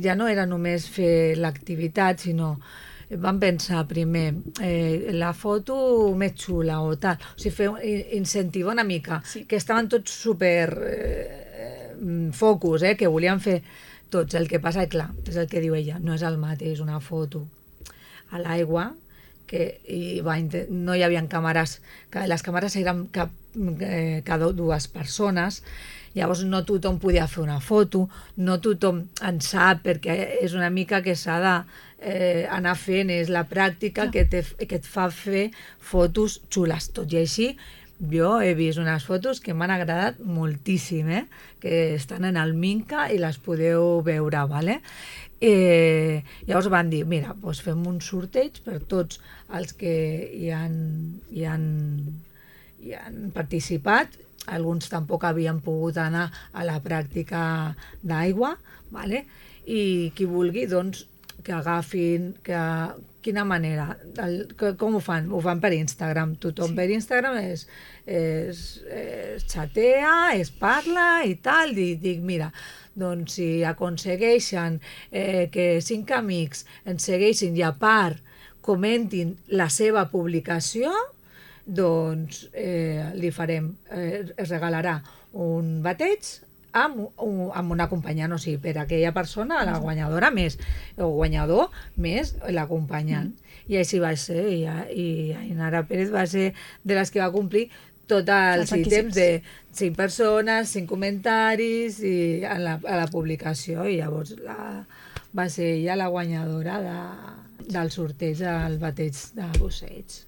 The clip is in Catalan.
Ja no era només fer l'activitat, sinó vam pensar primer la foto més xula o tal, o sigui, incentivar una mica, que estaven tots super focus, que volien fer tots, el que passa, clar, és el que diu ella, no és el mateix una foto a l'aigua, que no hi havia càmeres, que les càmeres eren cada dues persones, llavors no tothom podia fer una foto, no tothom en sap, perquè és una mica que s'ha d'anar fent, és la pràctica que et fa fer fotos xules. Tot i així, jo he vist unes fotos que m'han agradat moltíssim, que estan en el Minca i les podeu veure, ¿vale? Llavors van dir, mira, doncs fem un sorteig per tots els que hi han participat. Alguns tampoc havien pogut anar a la pràctica d'aigua, ¿vale? I qui vulgui, doncs, que agafin, quina manera, com ho fan? Ho fan per Instagram, tothom per Instagram es xatea, es parla i tal, i dic, mira, doncs si aconsegueixen que 5 amics ens segueixin i a part comentin la seva publicació, doncs li farem, es regalarà un bateig amb un acompanyant, o sigui, per a aquella persona, la guanyadora més, o guanyador més l'acompanyant. I així va ser, i Ainara Pérez va ser de les que va complir tots els ítems de 5 persones, 5 comentaris i a la publicació, i llavors va ser ella la guanyadora del sorteig del bateig de Busseig.